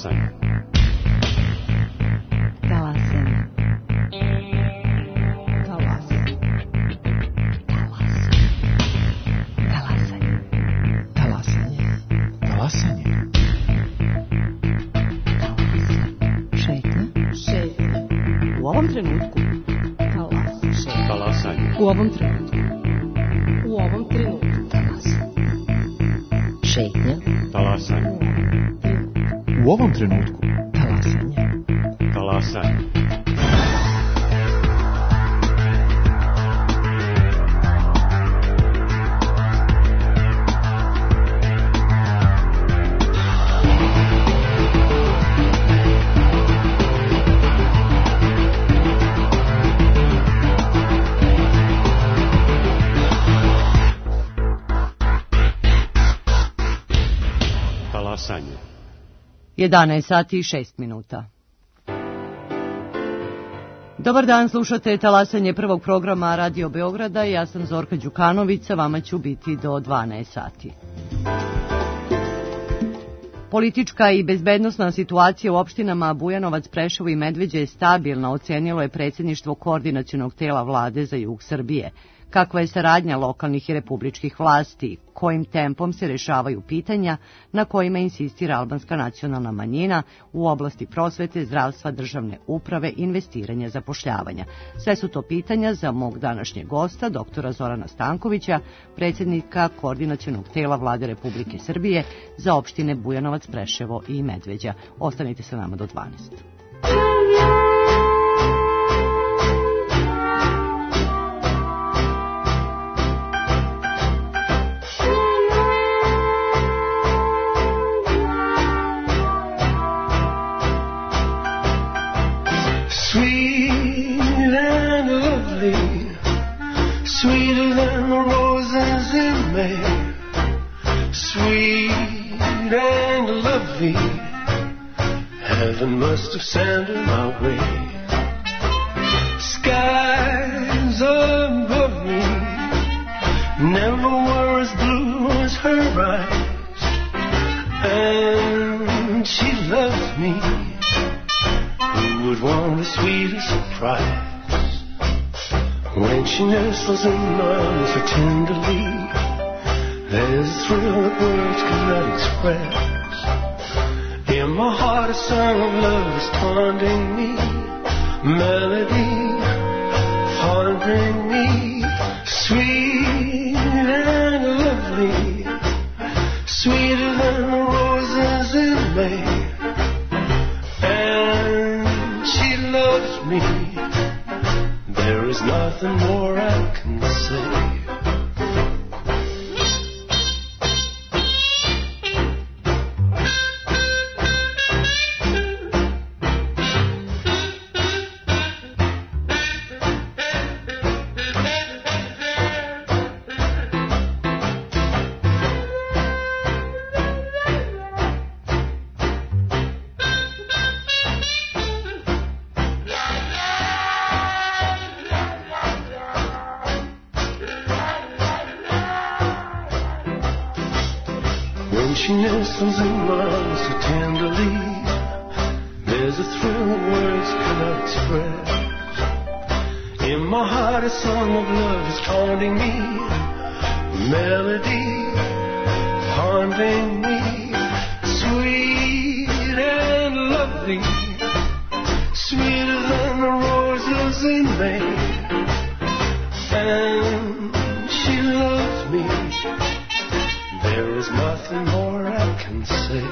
Talasanje. Talasanje. Talasanje. Talasanje. Talasanje. Talasanje. Šetnja. U ovom trenutku. Talasanje. U ovom trenutku. U ovom trenutku. Šetnja. Talasanje. U ovom trenutku. Talasanje. Talasanje. Talasanje. 11 sati i 6 minuta. Dobar dan, slušate Talasanje prvog programa Radio Beograda. Ja sam Zorka Đukanović, sa vama ću biti do 12 sati. Politička i bezbednosna situacija u opštinama Bujanovac, Preševo i Medveđa je stabilna, ocenilo je predsjedništvo Koordinacionog tela vlade za jug Srbije. Kakva je saradnja lokalnih i republičkih vlasti, kojim tempom se rešavaju pitanja na kojima insistira albanska nacionalna manjina u oblasti prosvete, zdravstva, državne uprave, investiranja, zapošljavanja. Sve su to pitanja za mog današnjeg gosta, doktora Zorana Stankovića, predsjednika Koordinacionog tela vlade Republike Srbije za opštine Bujanovac, Preševo i Medveđa. Ostanite sa nama do 12. Sweeter than the roses in May, sweet and lovely, heaven must have sent her my way. Skies above me never were as blue as her eyes, and she loves me. Who would want a sweeter surprise? When she nestles in my arms so tenderly, there's a thrill that words cannot express. In my heart a song of love is taunting me, melody haunting me, sweet and lovely, sweeter than the roses in May, and she loves me. There is nothing more I can say. She nestles in my arms so tenderly, there's a thrill that words cannot express. In my heart a song of love is haunting me, melody haunting me, sweet and lovely, sweeter than the roses in May, and she loves me. There is nothing more I can say.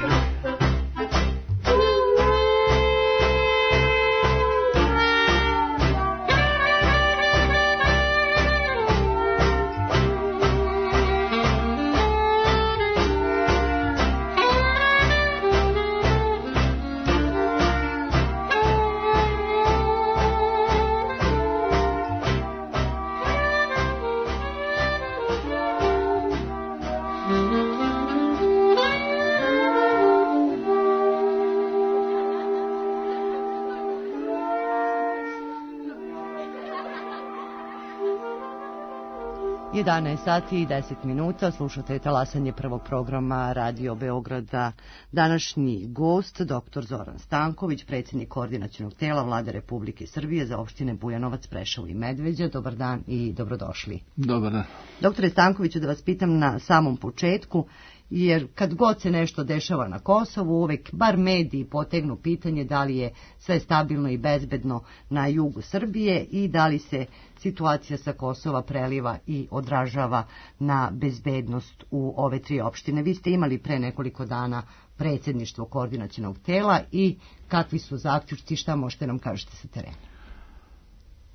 11 sati i 10 minuta, slušate talasanje prvog programa Radio Beograda. Današnji gost, dr. Zoran Stanković, predsjednik koordinacionog tela Vlade Republike Srbije za opštine Bujanovac, Preševo i Medveđa. Dobar dan i dobrodošli. Dobar dan. Doktore Stankoviću, da vas pitam na samom početku, jer kad god se nešto dešava na Kosovu, uvek bar mediji potegnu pitanje da li je sve stabilno i bezbedno na jugu Srbije i da li se situacija sa Kosova preliva i odražava na bezbednost u ove tri opštine. Vi ste imali pre nekoliko dana predsjedništvo koordinacionog tela i kakvi su zaključci, šta možete nam kažete sa terena?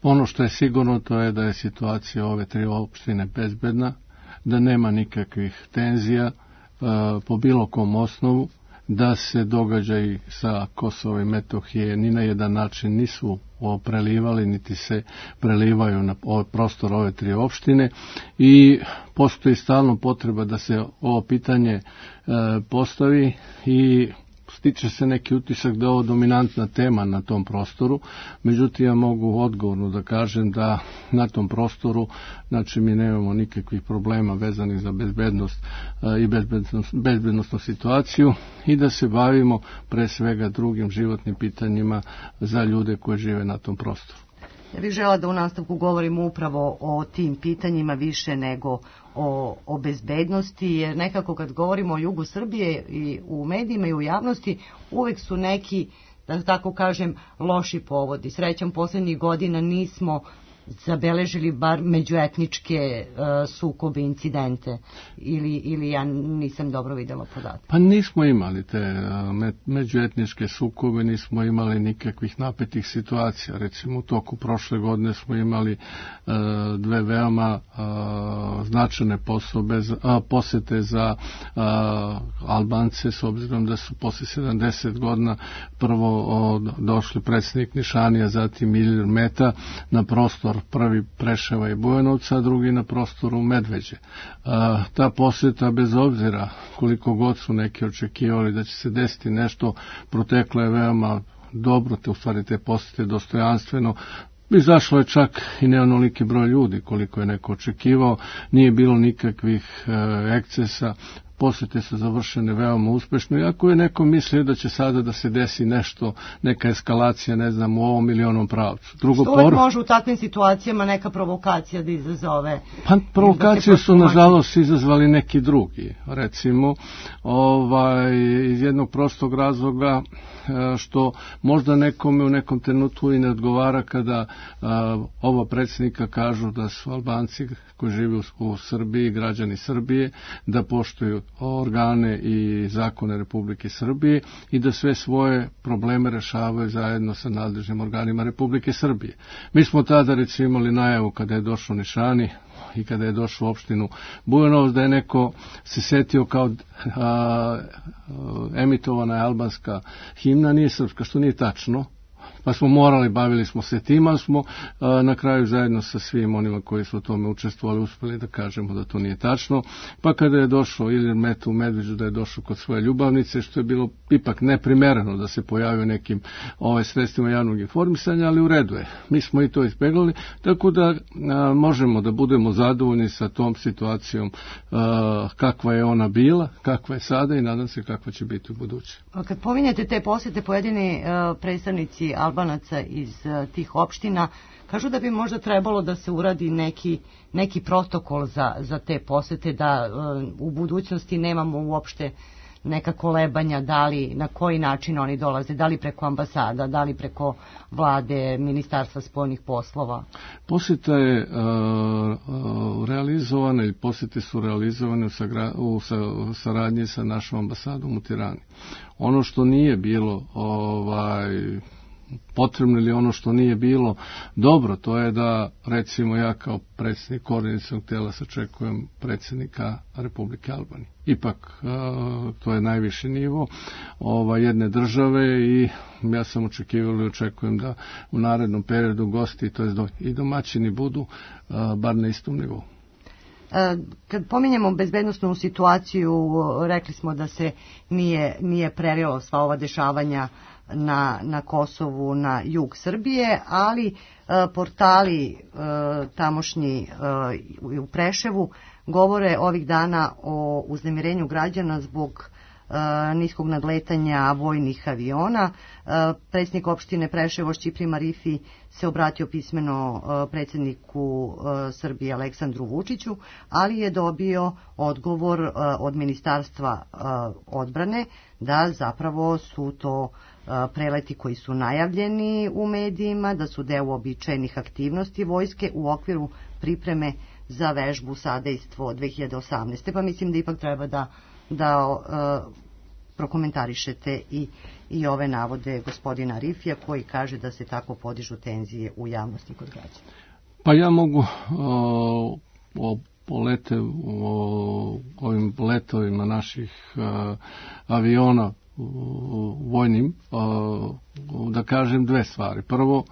Ono što je sigurno to je da je situacija ove tri opštine bezbedna, da nema nikakvih tenzija po bilo kom osnovu, da se događaji sa Kosova i Metohije ni na jedan način nisu prelivali, niti se prelivaju na prostor ove tri opštine i postoji stalno potreba da se ovo pitanje postavi i stiče se neki utisak da je ovo dominantna tema na tom prostoru, međutim ja mogu odgovorno da kažem da na tom prostoru, znači mi nemamo nikakvih problema vezanih za bezbednost i bezbednostnu situaciju i da se bavimo pre svega drugim životnim pitanjima za ljude koji žive na tom prostoru. Ja bih žela da u nastavku govorimo upravo o tim pitanjima više nego o bezbednosti, jer nekako kad govorimo o jugu Srbije i u medijima i u javnosti, uvek su neki, da tako kažem, loši povodi. Srećom, poslednjih godina nismo zabeležili bar međuetničke sukobe, incidente, ili ja nisam dobro videla podatke. Pa nismo imali te međuetničke sukobe, nismo imali nikakvih napetih situacija. Recimo u toku prošle godine smo imali dve veoma značajne posete za Albance, s obzirom da su posle 70 godina prvo došli predsjednik Nišanija, zatim Ilir Meta na prostor prvi Preševa i Bujanovca, a drugi na prostoru Medveđe. Ta posjeta, bez obzira koliko god su neki očekivali da će se desiti nešto, proteklo je veoma dobro, u stvari te posjete dostojanstveno. Izašlo je čak i ne onoliki broj ljudi koliko je neko očekivao, nije bilo nikakvih ekscesa, posjete su završene veoma uspešno, iako je neko mislio da će sada da se desi nešto, neka eskalacija, ne znam, u ovom ili onom pravcu. Što uvijek može u takvim situacijama neka provokacija da izazove? Pa provokacije su nažalost izazvali neki drugi, recimo, iz jednog prostog razloga što možda nekome u nekom trenutku i ne odgovara kada oba predsjednika kažu da su Albanci koji žive u Srbiji, građani Srbije, da poštuju organe i zakone Republike Srbije i da sve svoje probleme rešavaju zajedno sa nadležnim organima Republike Srbije. Mi smo tada recimo imali najavu kada je došao Nišani i kada je došao u opštinu Bujanovac da je neko se setio kao emitovana je albanska himna, nije srpska, što nije tačno. Pa smo morali, bavili smo se tim, ali smo na kraju zajedno sa svim onima koji su u tome učestvovali uspjeli da kažemo da to nije tačno. Pa kada je došao Ilir Meta u Medveđu, da je došao kod svoje ljubavnice, što je bilo ipak neprimereno da se pojavio nekim sredstvima javnog informisanja, ali u redu je. Mi smo i to izbeglali, tako da možemo da budemo zadovoljni sa tom situacijom kakva je ona bila, kakva je sada i nadam se kakva će biti u buduće. Kad pominjete te posjete, pojedini predstavnici Albanaca iz tih opština kažu da bi možda trebalo da se uradi neki protokol za te posete, da u budućnosti nemamo uopšte neka kolebanja, da li, na koji način oni dolaze, da li preko ambasada, da li preko vlade, ministarstva spoljnih poslova. Posjeta je realizovana ili posjete su realizovane u saradnji sa našom ambasadom u Tirani. Ono što nije bilo potrebno ili ono što nije bilo dobro, to je da recimo ja kao predsjednik koordinacionog tela sačekujem predsjednika Republike Albanije. Ipak to je najviši nivo jedne države i ja sam očekivao i očekujem da u narednom periodu gosti, to je i domaćini budu bar na istom nivou. Kad pominjemo bezbednosnu situaciju, rekli smo da se nije prelilo sva ova dešavanja na Kosovu, na jug Srbije, ali portali tamošnji u Preševu govore ovih dana o uznemirenju građana zbog niskog nadletanja vojnih aviona. Predsjednik opštine Preševo Šćiplji Marifi se obratio pismeno predsjedniku Srbije Aleksandru Vučiću, ali je dobio odgovor od Ministarstva odbrane da zapravo su to preleti koji su najavljeni u medijima, da su deo uobičajenih aktivnosti vojske u okviru pripreme za vežbu Sadejstvo 2018. Pa mislim da ipak treba da prokomentarišete i ove navode gospodina Arifija koji kaže da se tako podižu tenzije u javnosti kod građana. Pa ja mogu ovim letovima naših aviona vojnim da kažem dve stvari. Prvo,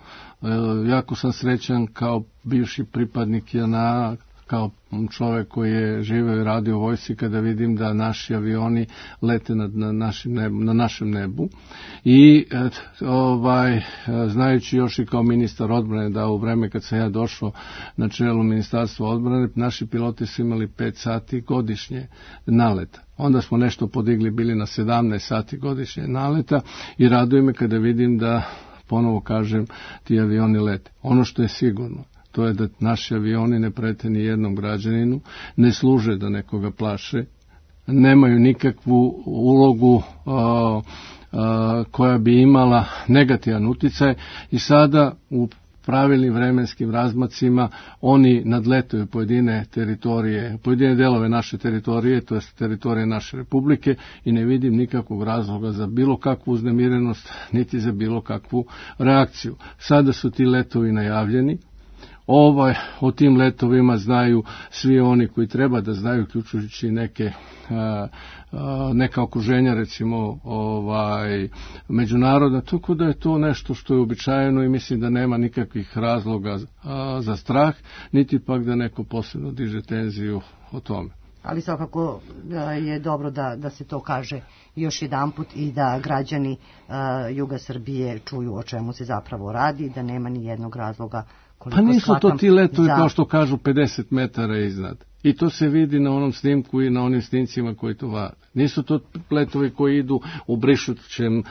jako sam srećan kao bivši pripadnik JNA, kao čovjek koji je živeo i radio u vojsci, kada vidim da naši avioni lete na našem nebu i znajući još i kao ministar odbrane da u vreme kad sam ja došao na čelu Ministarstva odbrane, naši piloti su imali 5 sati godišnje naleta. Onda smo nešto podigli, bili na 17 sati godišnje naleta i raduje me kada vidim da, ponovo kažem, ti avioni lete. Ono što je sigurno, to je da naši avioni ne prete ni jednom građaninu, ne služe da nekoga plaše, nemaju nikakvu ulogu koja bi imala negativan uticaj i sada u pravilnim vremenskim razmacima oni nadletaju pojedine teritorije, pojedine delove naše teritorije, to je teritorije naše republike i ne vidim nikakvog razloga za bilo kakvu uznemirenost, niti za bilo kakvu reakciju. Sada su ti letovi najavljeni. O tim letovima znaju svi oni koji treba da znaju, uključujući neka okruženja, recimo međunarodna, tako da je to nešto što je uobičajeno i mislim da nema nikakvih razloga za strah, niti pak da neko posebno diže tenziju o tome. Ali svakako je dobro da se to kaže još jedanput i da građani juga Srbije čuju o čemu se zapravo radi, da nema ni jednog razloga. Pa nisu to ti letovi kao što kažu 50 metara iznad. I to se vidi na onom snimku i na onim snimcima koji to vade. Nisu to letovi koji idu u brišućem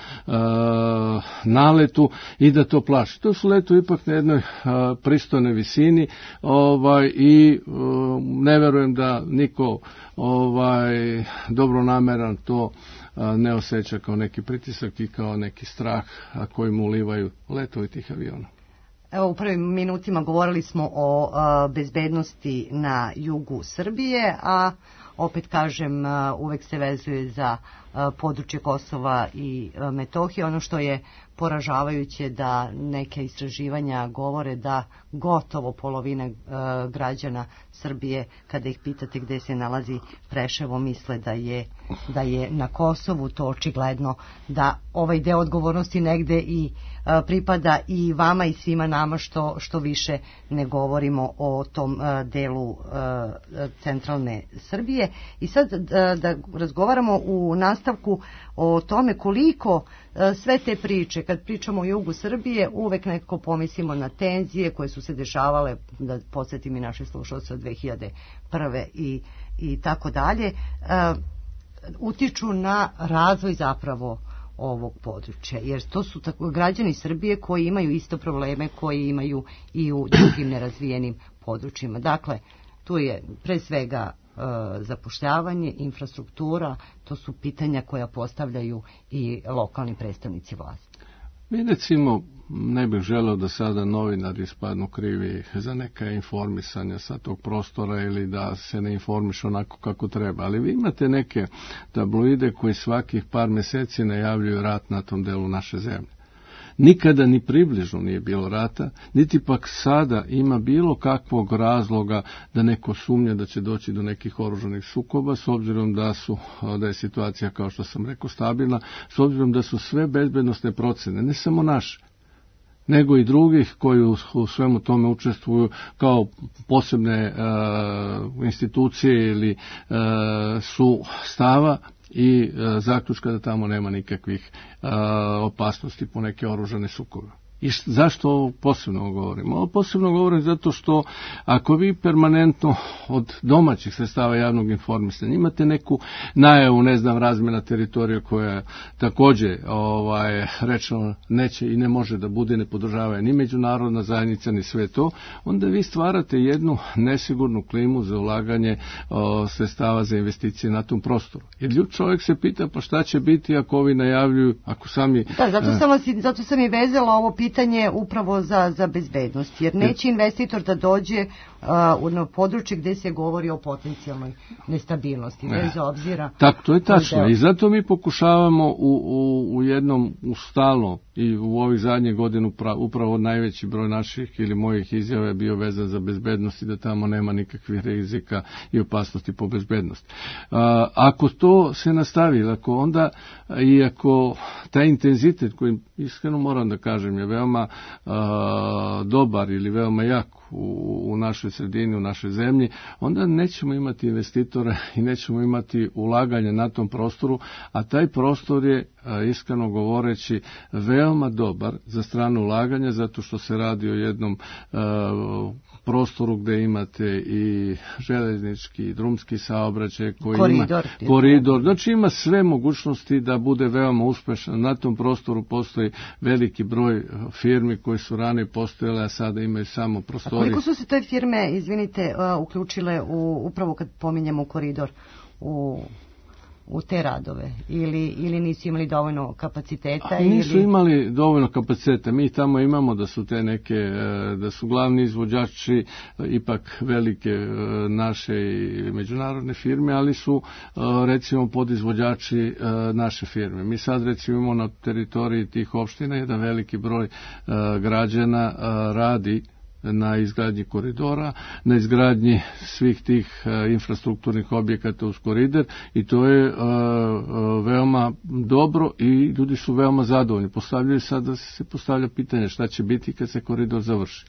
naletu i da to plaši. To su letovi ipak na jednoj pristojnoj visini i ne verujem da niko dobronameran to ne osjeća kao neki pritisak i kao neki strah koji mu ulivaju letovi tih aviona. Evo, u prvim minutima govorili smo o bezbednosti na jugu Srbije, a opet kažem, uvek se vezuje za područje Kosova i Metohije. Ono što je poražavajuće da neke istraživanja govore da gotovo polovina građana Srbije, kada ih pitate gde se nalazi Preševo, misle da je na Kosovu. To očigledno da ovaj deo odgovornosti negde i pripada i vama i svima nama što više ne govorimo o tom delu centralne Srbije. I sad da razgovaramo u nastavku o tome koliko sve te priče, kad pričamo o jugu Srbije, uvek nekako pomislimo na tenzije koje su se dešavale, da podsjetim i naše slušalce od 2001. i tako dalje, utiču na razvoj zapravo ovog područja, jer to su građani Srbije koji imaju isto probleme koji imaju i u drugim nerazvijenim područjima. Dakle, tu je pre svega zapošljavanje, infrastruktura, to su pitanja koja postavljaju i lokalni predstavnici vlasti. Mi recimo ne bih želeo da sada novinari ispadnu krivi za neka informisanja sa tog prostora ili da se ne informišu onako kako treba, ali vi imate neke tabloide koji svakih par mjeseci najavljuju rat na tom delu naše zemlje. Nikada ni približno nije bilo rata, niti pak sada ima bilo kakvog razloga da neko sumnja da će doći do nekih oružanih sukoba, s obzirom da je situacija, kao što sam rekao, stabilna, s obzirom da su sve bezbednosne procene, ne samo naše, nego i drugih koji u svemu tome učestvuju kao posebne institucije ili su stava i zaključka da tamo nema nikakvih opasnosti po neke oružane sukobe. I zašto ovo posebno govorim? Ovo posebno govorim zato što ako vi permanentno od domaćih sredstava javnog informisanja imate neku najavu, razmjena teritorija koja također rečeno neće i ne može da bude, ne podržava ni međunarodna zajednica ni sve to, onda vi stvarate jednu nesigurnu klimu za ulaganje sredstava za investicije na tom prostoru. Jer čovjek se pita pa šta će biti ako ovi najavljuju, ako sami... Da, zato sam i vezala ovo pitanje upravo za bezbednost, jer neće investitor da dođe na područje gdje se govori o potencijalnoj nestabilnosti, bez obzira. Tako, to je tačno. I zato mi pokušavamo u jednom, stalno i u ovih zadnjih godina upravo najveći broj naših ili mojih izjava je bio vezan za bezbednost i da tamo nema nikakvih rizika i opasnosti po bezbednost. Ako to se nastavi, ako taj intenzitet koji iskreno moram da kažem je veoma dobar ili veoma jak u našoj sredini, u našoj zemlji, onda nećemo imati investitore i nećemo imati ulaganje na tom prostoru, a taj prostor je, iskreno govoreći, veoma dobar za strano ulaganje, zato što se radi o jednom prostoru gdje imate i željeznički i drumski saobraćaj koji koridor, znači ima sve mogućnosti da bude veoma uspešan. Na tom prostoru postoji veliki broj firmi koji su ranije postojale, a sada imaju samo prostorije. Koliko su se te firme, uključile upravo kad pominjemo koridor u te radove ili nisu imali dovoljno kapaciteta? Nisu imali dovoljno kapaciteta. Mi tamo imamo da su te neke, da su glavni izvođači ipak velike naše i međunarodne firme, ali su recimo podizvođači naše firme. Mi sad recimo imamo na teritoriji tih opština jedan veliki broj građana radi na izgradnji koridora, na izgradnji svih tih infrastrukturnih objekata uz koridor i to je veoma dobro i ljudi su veoma zadovoljni. Sada se postavlja pitanje šta će biti kad se koridor završi.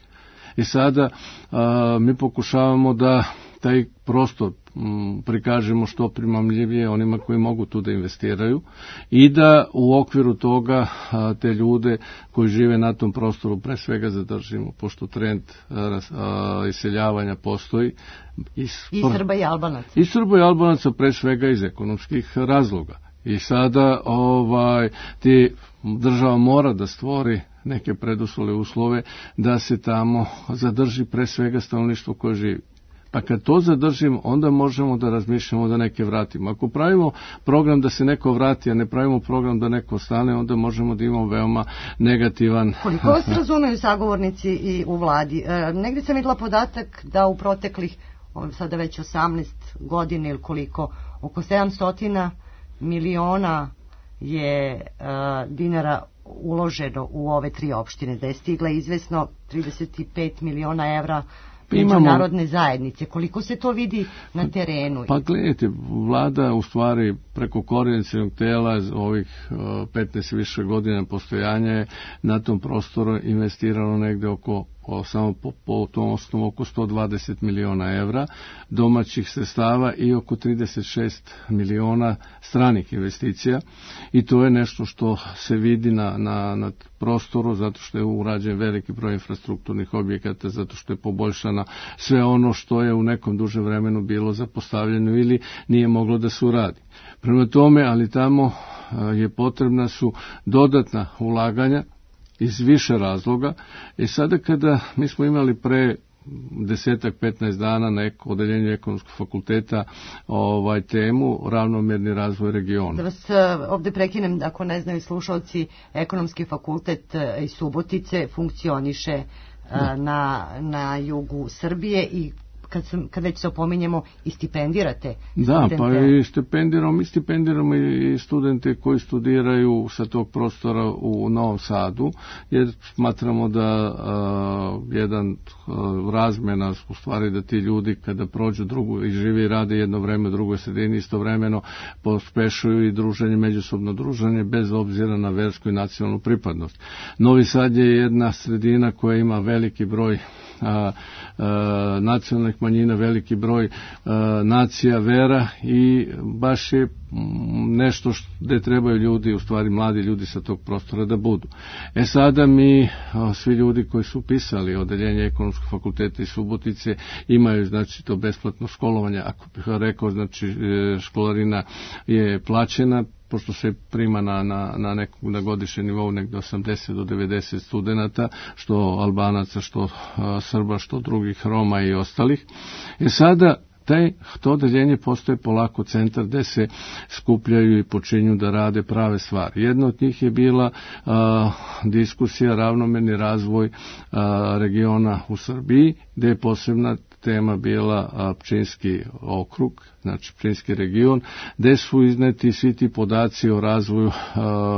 I sada mi pokušavamo da taj prostor prikažemo što primamljivije onima koji mogu tu da investiraju i da u okviru toga te ljude koji žive na tom prostoru pre svega zadržimo, pošto trend iseljavanja postoji. I Srba i Albanaca. I Srba i Albanaca pre svega iz ekonomskih razloga. I sada država mora da stvori neke preduslove uslove da se tamo zadrži pre svega stanovništvo koje živi. Pa kad to zadržimo, onda možemo da razmišljamo da neke vratimo. Ako pravimo program da se neko vrati, a ne pravimo program da neko ostane, onda možemo da imamo veoma negativan... Koliko vas razumeju sagovornici i u vladi? Negdje sam vidjela podatak da u proteklih, sada već 18 godina ili koliko, oko 700 miliona je dinara uloženo u ove 3 opštine, da je stigla izvesno 35 miliona evra međunarodne zajednice. Koliko se to vidi na terenu? Pa gledajte, vlada u stvari preko koordinacionog tela ovih 15 više godina postojanja je na tom prostoru investirano negde samo po tom osnovu oko 120 miliona evra domaćih sredstava i oko 36 miliona stranih investicija i to je nešto što se vidi na prostoru zato što je urađen veliki broj infrastrukturnih objekata, zato što je poboljšana sve ono što je u nekom dužem vremenu bilo zapostavljeno ili nije moglo da se uradi. Prema tome, ali tamo je potrebna su dodatna ulaganja iz više razloga. I sada kada mi smo imali pre 10-15 dana na odeljenju ekonomskog fakulteta temu ravnomjerni razvoj regiona. Da vas ovdje prekinem, ako ne znaju slušalci, ekonomski fakultet iz Subotice funkcioniše na jugu Srbije i kad već se opominjemo, i stipendirate Da, studente. pa i stipendiramo i studente koji studiraju sa tog prostora u Novom Sadu, jer smatramo da jedan razmena, u stvari da ti ljudi kada prođu drugu i živi i rade jedno vreme u drugoj sredini, istovremeno pospešuju i druženje, međusobno druženje bez obzira na versku i nacionalnu pripadnost. Novi Sad je jedna sredina koja ima veliki broj nacionalnih manjina, veliki broj nacija, vera, i baš je nešto gde trebaju ljudi, u stvari mladi ljudi sa tog prostora da budu. Sada mi, svi ljudi koji su upisali odeljenje Ekonomskog fakulteta iz Subotice, imaju, znači, to besplatno školovanje. Ako bih rekao, znači, školarina je plaćena, pošto se prima na godišnjem nivou negde 80 do 90 studenata, što Albanaca, što Srba, što drugih Roma i ostalih. Sada to odeljenje postaje polako centar gde se skupljaju i počinju da rade prave stvari. Jedna od njih je bila diskusija ravnomerni razvoj regiona u Srbiji, gde je posebna tema bila Pčinjski okrug, znači Pčinjski region, gde su izneti svi ti podaci o razvoju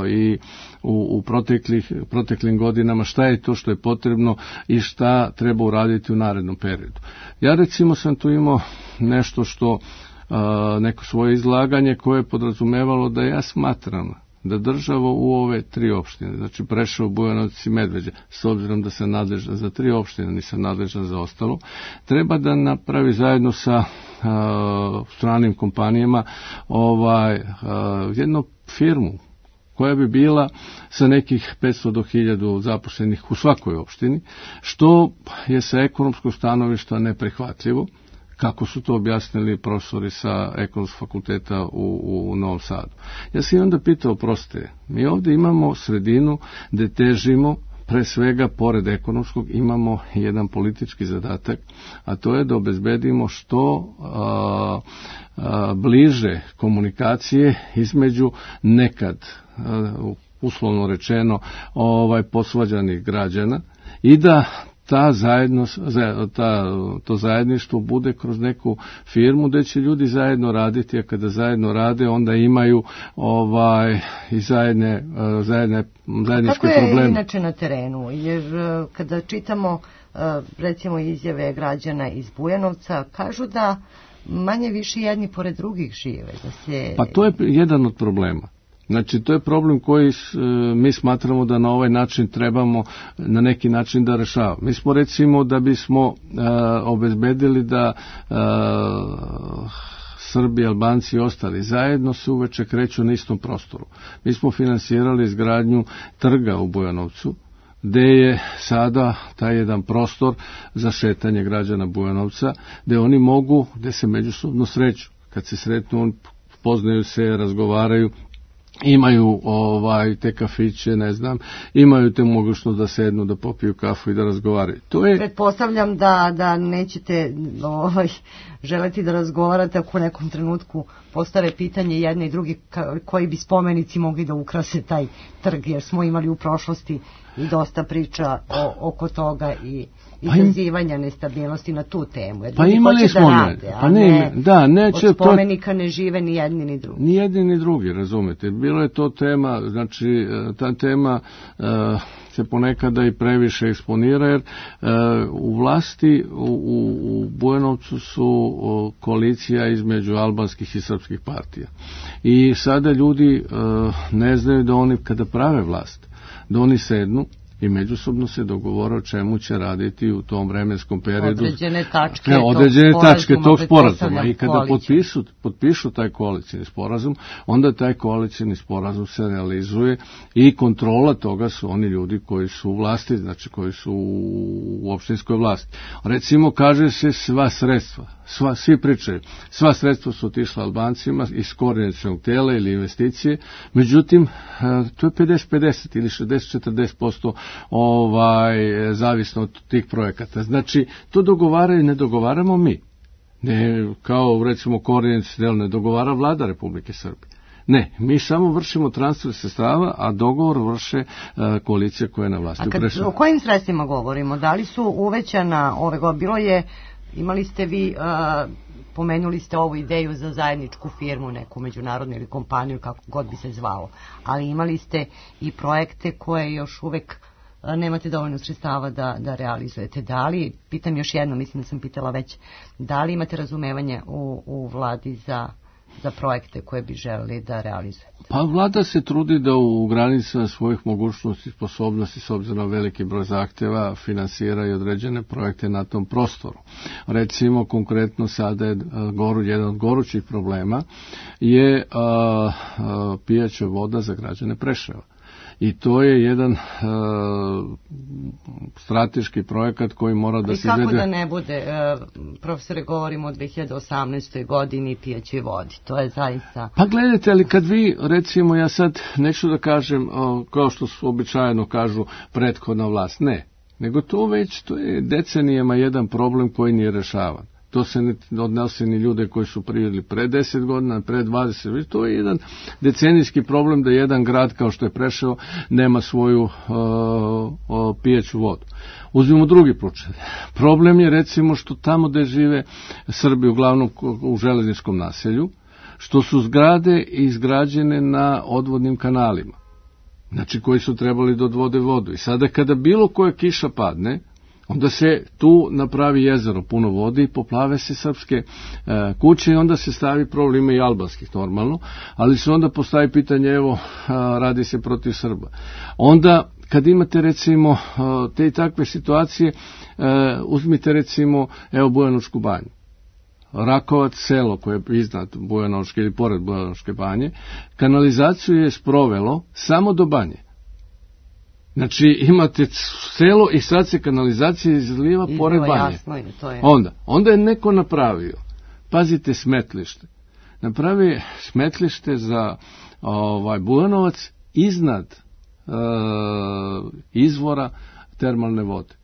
i u proteklim godinama, šta je to što je potrebno i šta treba uraditi u narednom periodu. Ja recimo sam tu imao nešto što, neko svoje izlaganje koje je podrazumevalo da ja smatram da država u ove 3 opštine, znači Preševo, Bujanovac i Medveđa, s obzirom da sam nadležan za 3 opštine, nisam nadležan za ostalo, treba da napravi zajedno sa stranim kompanijama jednu firmu koja bi bila sa nekih 500 do 1000 zaposlenih u svakoj opštini, što je sa ekonomskog stanovišta neprihvatljivo, kako su to objasnili profesori sa Ekonomskog fakulteta u Novom Sadu. Ja sam i onda pitao, prostije, mi ovdje imamo sredinu gde težimo, pre svega, pored ekonomskog, imamo jedan politički zadatak, a to je da obezbedimo što bliže komunikacije između nekad, uslovno rečeno, posvađanih građana, i da to zajedništvo bude kroz neku firmu gde će ljudi zajedno raditi, a kada zajedno rade onda imaju i zajedničke probleme. Kako je inače na terenu? Jer kada čitamo recimo izjave građana iz Bujanovca, kažu da manje više jedni pored drugih žive. Pa to je jedan od problema. Znači, to je problem koji mi smatramo da na ovaj način trebamo na neki način da rešavamo. Mi smo, recimo, da bismo obezbedili da Srbi, Albanci i ostali zajedno se uveče kreću na istom prostoru. Mi smo finansirali izgradnju trga u Bujanovcu, gde je sada taj jedan prostor za šetanje građana Bujanovca, gde oni mogu, gde se međusobno sreću. Kad se sretnu, poznaju se, razgovaraju, imaju te kafiće, ne znam, imaju te mogućnost da sednu, da popiju kafu i da razgovaraju. Pretpostavljam da nećete želeti da razgovarate ako u nekom trenutku postave pitanje jedne i drugi koji bi spomenici mogli da ukrase taj trg, jer smo imali u prošlosti i dosta priča oko toga i izazivanja nestabilnosti na tu temu. Jer ljudi hoće da rade, od spomenika ne žive ni jedni ni drugi. Ni jedni ni drugi, razumete. Bilo je to tema, znači ta tema se ponekada i previše eksponira, jer u vlasti u Bujanovcu su koalicija između albanskih i srpskih partija. I sada ljudi ne znaju da oni kada prave vlast, da oni sednu i međusobno se dogovore o čemu će raditi u tom vremenskom periodu. Određene tačke tog sporazuma. I kada potpišu taj koalicijni sporazum, onda taj koalicijni sporazum se realizuje i kontrola toga su oni ljudi koji su u vlasti, znači koji su u opštinskoj vlasti. Recimo, kaže se sva sredstva, svi pričaju, sva sredstva su otišla Albancima iz koordinacionog tela ili investicije, međutim, to je 50-50 ili 60-40% zavisno od tih projekata. Znači, to dogovaraju, ne dogovaramo mi. Ne, kao recimo koordinaciono telo ne dogovara vlada Republike Srbije. Ne, mi samo vršimo transfer sredstava, a dogovor vrše koalicija koja je na vlasti. O kojim sredstvima govorimo? Da li su uvećana ove godine? Bilo je Imali ste vi, pomenuli ste ovu ideju za zajedničku firmu, neku međunarodnu ili kompaniju, kako god bi se zvalo, ali imali ste i projekte koje još uvek nemate dovoljno sredstava da realizujete. Da li, pitam još jedno, mislim da sam pitala već, da li imate razumevanje u vladi za projekte koje bi želeli da realizujete? Pa vlada se trudi da u granicama svojih mogućnosti i sposobnosti, s obzirom na veliki broj zahtjeva, finansira i određene projekte na tom prostoru. Recimo, konkretno sada je jedan od gorućih problema je pijaća voda za građane Preševa. I to je jedan strateški projekat koji mora da se izvede. I kako da ne bude, profesore, govorimo o 2018. godini pijaćoj vodi, to je zaista... Pa gledajte, ali kad vi, recimo, ja sad neću da kažem, kao što su običajno kažu, prethodna vlast, ne, nego to je decenijama jedan problem koji nije rešavan. To se ne odnosi ni ljude koji su privredili pre 10 godina, pre 20. To je jedan decenijski problem da jedan grad kao što je Preševo nema svoju pijaću vodu. Uzmimo drugi slučaj. Problem je recimo što tamo gde žive Srbi, uglavnom u železničkom naselju, što su zgrade izgrađene na odvodnim kanalima. Znači koji su trebali da odvode vodu. I sada kada bilo koja kiša padne, onda se tu napravi jezero puno vode i poplave se srpske kuće i onda se stavi problem, ima i albanskih normalno, ali se onda postavi pitanje, evo, radi se protiv Srba. Onda, kad imate recimo te i takve situacije, uzmite recimo, evo, Bujanovačku banju. Rakovac, selo koje je iznad Bujanovačke ili pored Bujanovačke banje, kanalizaciju je sprovelo samo do banje. Znači, imate selo i sad se kanalizacija izliva pored banje. Onda je neko napravio, pazite, smetlište. Napravi smetlište za Bujanovac iznad izvora termalne vode.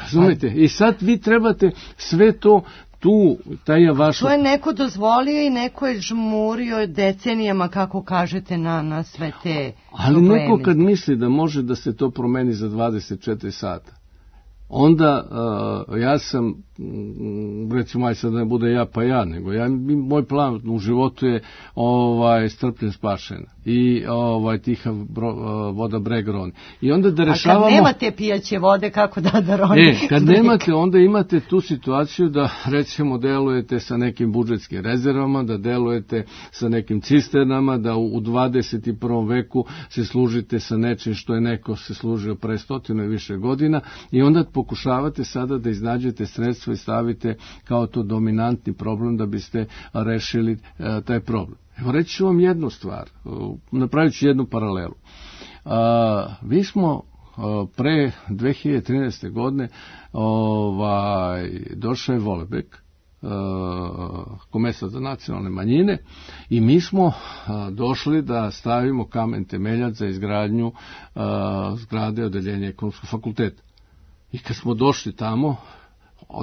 Razumite? I sad vi trebate sve to To je neko dozvolio i neko je žmurio decenijama, kako kažete, na sve te probleme. Ali neko kad misli da može da se to promeni za 24 sata, onda ja sam, recimo, aj sad ne bude ja pa ja, nego moj plan u životu je strpljen spašen i tiha voda breg roni. I onda da rešavamo... A kad nemate pijaće vode, kako da roni? Kad nemate, onda imate tu situaciju da, recimo, delujete sa nekim budžetskim rezervama, da delujete sa nekim cisternama, da u 21. veku se služite sa nečim što je neko se služio pre 100 i više godina i onda pokušavate sada da iznađete sredstva i stavite kao to dominantni problem da biste rešili taj problem. Evo, reći ću vam jednu stvar, napravit ću jednu paralelu. Mi smo pre 2013. godine došao je Volebek, komesar za nacionalne manjine, i mi smo došli da stavimo kamen temeljac za izgradnju zgrade odeljenja ekonomskog fakulteta. I kad smo došli tamo,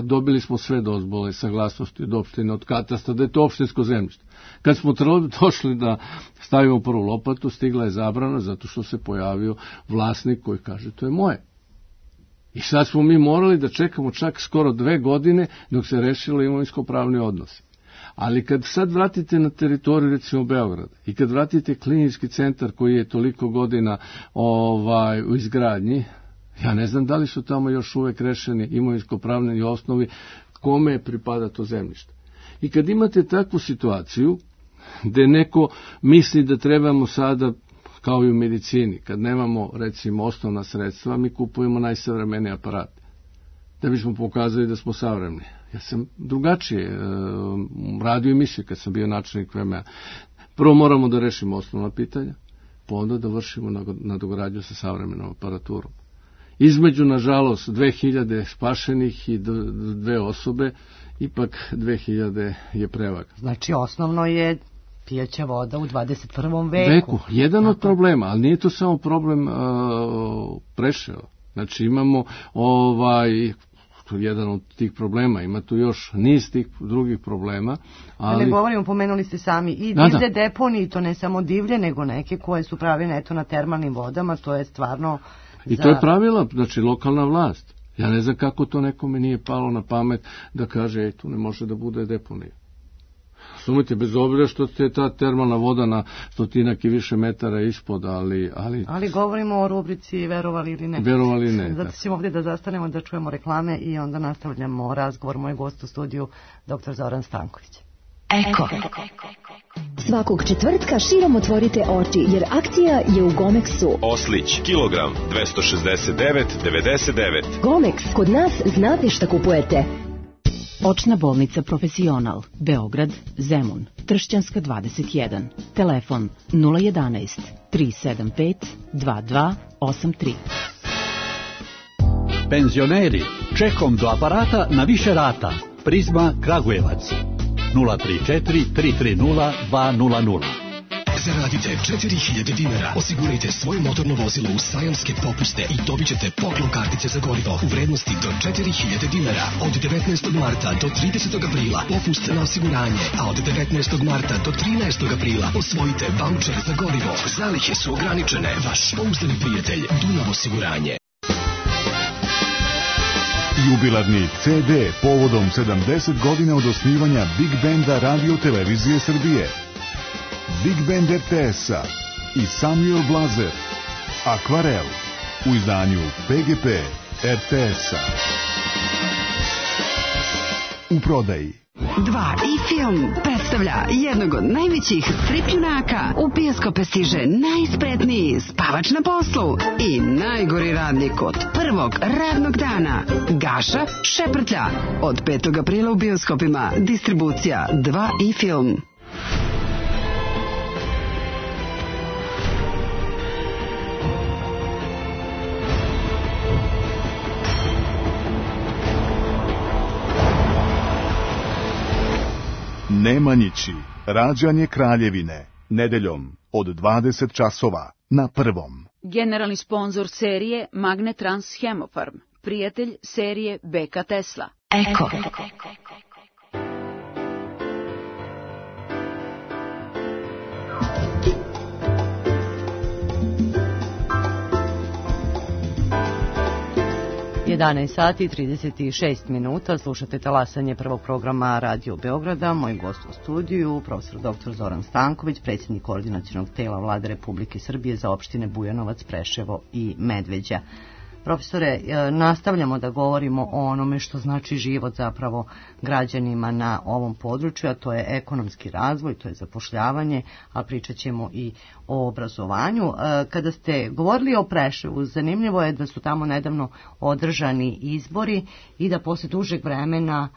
dobili smo sve dozvole, saglasnosti od opštine, od katastra, da je to opštinsko zemljište. Kad smo došli da stavimo prvu lopatu, stigla je zabrana zato što se pojavio vlasnik koji kaže to je moje. I sad smo mi morali da čekamo čak skoro 2 godine dok se rešilo imovinsko-pravni odnosi. Ali kad sad vratite na teritoriju, recimo, Beograda i kad vratite klinički centar koji je toliko godina u izgradnji, ja ne znam da li su tamo još uvek rešeni imovinsko-pravni osnovi kome pripada to zemljište. I kad imate takvu situaciju gde neko misli da trebamo sada, kao i u medicini, kad nemamo, recimo, osnovna sredstva, mi kupujemo najsavremenije aparate da bismo pokazali da smo savremeni. Ja sam drugačije radio emisije kad sam bio načelnik VMA. Prvo moramo da rešimo osnovna pitanja, pa onda da vršimo nadogradnju sa savremenom aparaturom. Između, nažalost, 2000 spašenih i 2 osobe, ipak 2000 je prevaga. Znači, osnovno je pijaća voda u 21. veku. Jedan od problema, ali nije to samo problem Preševa. Znači, imamo jedan od tih problema, ima tu još niz tih drugih problema. Ali... Ne govorimo, pomenuli ste sami i divlje deponije, to ne samo divlje, nego neke koje su pravljene na termalnim vodama, to je stvarno... I to je pravila, znači, lokalna vlast. Ja ne znam kako to nekome nije palo na pamet da kaže, tu ne može da bude deponija. Sumite, bez obzira što je ta termalna voda na stotinak i više metara ispod, ali govorimo o rubrici verovali ili ne. Verovali ne. Zato ćemo ovdje da zastanemo, da čujemo reklame i onda nastavljamo razgovor. Moj gost u studiju, dr. Zoran Stanković. Eko. Svakog četvrtka širom otvorite oči, jer akcija je u Gomexu. Oslić, kilogram, 269,99. Gomex, kod nas znate šta kupujete. Očna bolnica Profesional, Beograd, Zemun, Tršćanska 21, telefon 011 375 2283. Penzioneri, čekom do aparata na više rata. Prizma Kragujevac 034 330 200. Zaradite 4000 dinara, osigurajte svoje motorno vozilo u sajamske popuste i dobit ćete poklon kartice za gorivo u vrednosti do 4000 dinara. Od 19. marta do 30. aprila popust na osiguranje, a od 19. marta do 13. aprila osvojite vaučer za gorivo. Zalihe su ograničene. Vaš pouzdani prijatelj Dunav osiguranje. Jubilarni CD povodom 70 godina od osnivanja Big Benda Radio Televizije Srbije. Big Band RTS-a i Samuel Blazer, Akvarel, u izdanju PGP RTS-a. U prodaji. 2i Film predstavlja jednog od najvećih strip junaka. U bioskope stiže najspretniji spavač na poslu i najgori radnik od prvog radnog dana. Gaša Šeprtlja. Od 5. aprila u bioskopima. Distribucija 2i Film. Nemanjići, rađanje Kraljevine, nedeljom od 20 časova na Prvom. Generalni sponzor serije Magnetrans Hemofarm, prijatelj serije BK Tesla. Eko. 11 sati i 36 minuta, slušate talasanje prvog programa Radio Beograda. Moj gost u studiju, profesor dr. Zoran Stanković, predsjednik koordinacionog tela Vlade Republike Srbije za opštine Bujanovac, Preševo i Medveđa. Profesore, nastavljamo da govorimo o onome što znači život zapravo građanima na ovom području, a to je ekonomski razvoj, to je zapošljavanje, a pričat ćemo i o obrazovanju. Kada ste govorili o Preševu, zanimljivo je da su tamo nedavno održani izbori i da posle dužeg vremena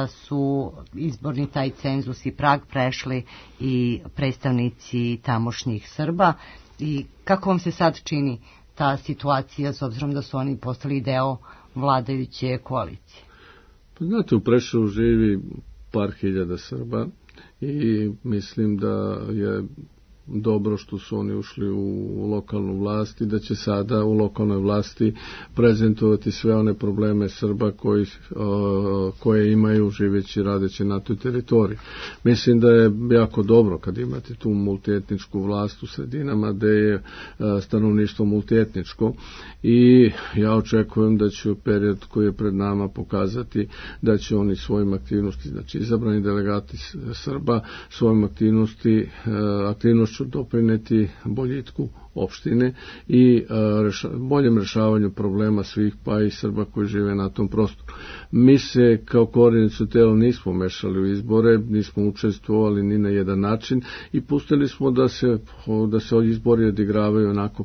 su izborni taj cenzus i prag prešli i predstavnici tamošnjih Srba. I kako vam se sad čini ta situacija, s obzirom da su oni postali deo vladajuće koalicije? Znate, u Preševu živi par hiljada Srba i mislim da je dobro što su oni ušli u lokalnu vlast i da će sada u lokalnoj vlasti prezentovati sve one probleme Srba koje imaju živeći, radeći na toj teritoriji. Mislim da je jako dobro kad imate tu multietničku vlast u sredinama gde je stanovništvo multietničko i ja očekujem da će u period koji je pred nama pokazati da će oni svojim aktivnosti, znači izabrani delegati Srba, svojim aktivnošću doprineti boljitku opštine i boljem rešavanju problema svih, pa i Srba koji žive na tom prostoru. Mi se kao koordinaciono telo nismo mešali u izbore, nismo učestvovali ni na jedan način i pustili smo da se izbori odigravaju onako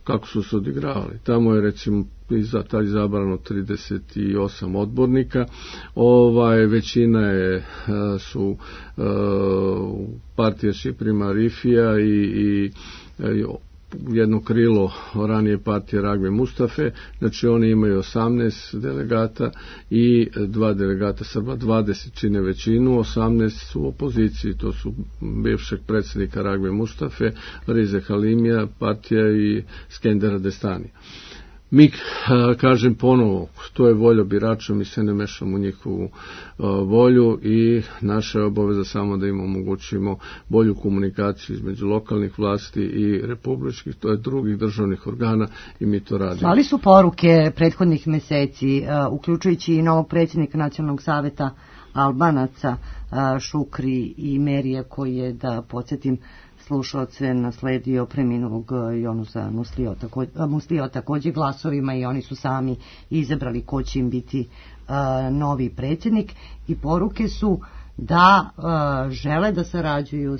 kako su se odigravali. Tamo je recimo izabrano 38 odbornika, većina su partija Šiprima Rifija i jedno krilo ranije partije Ragve Mustafe, znači oni imaju 18 delegata i 2 delegata Srba, 20 čine većinu, 18 su u opoziciji, to su bivšeg predsjednika Ragve Mustafe, Rize Halimija, partija i Skendera Destanija. Mi, kažem ponovo, to je volja birača, mi se ne mešamo u njihovu volju i naša je obaveza samo da im omogućimo bolju komunikaciju između lokalnih vlasti i republičkih, to je drugih državnih organa i mi to radimo. Slali su poruke prethodnih meseci, uključujući i novog predsjednika Nacionalnog saveta Albanaca, Šukri i Merija, koji je, da podsjetim slušalce, nasledio preminulog Jonusa Muslija također glasovima i oni su sami izabrali ko će im biti novi predsjednik i poruke su da žele da sarađuju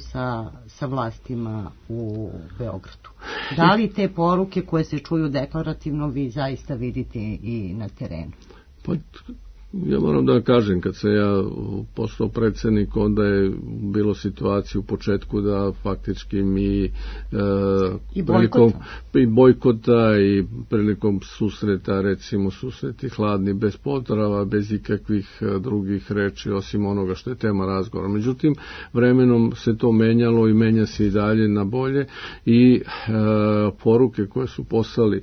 sa vlastima u Beogradu. Da li te poruke koje se čuju deklarativno vi zaista vidite i na terenu? Pa, ja moram da kažem, kad sam ja postao predsjednik, onda je bilo situacija u početku da faktički mi i bojkota i prilikom susreta, recimo susreti hladni, bez pozdrava, bez ikakvih drugih reči, osim onoga što je tema razgovora. Međutim, vremenom se to menjalo i menja se i dalje na bolje i poruke koje su poslali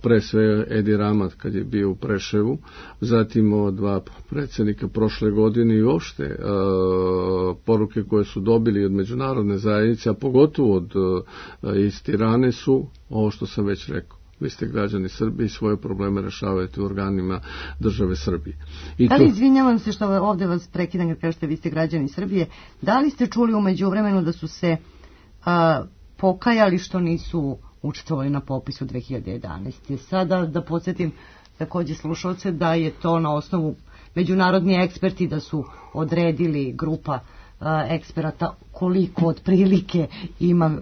pre sve Edi Ramat kad je bio u Preševu, zatim ova dva predsjednika prošle godine i uopšte poruke koje su dobili od međunarodne zajednice, a pogotovo od iz Tirane su ovo što sam već rekao. Vi ste građani Srbije i svoje probleme rešavajte u organima države Srbije. Da li, izvinjavam se što ovdje vas prekidam kad kažete vi ste građani Srbije, da li ste čuli u međuvremenu da su se pokajali što nisu učestvovali na popisu 2011. Sada da podsjetim također slušalce da je to na osnovu međunarodni eksperti da su odredili grupa eksperata koliko otprilike ima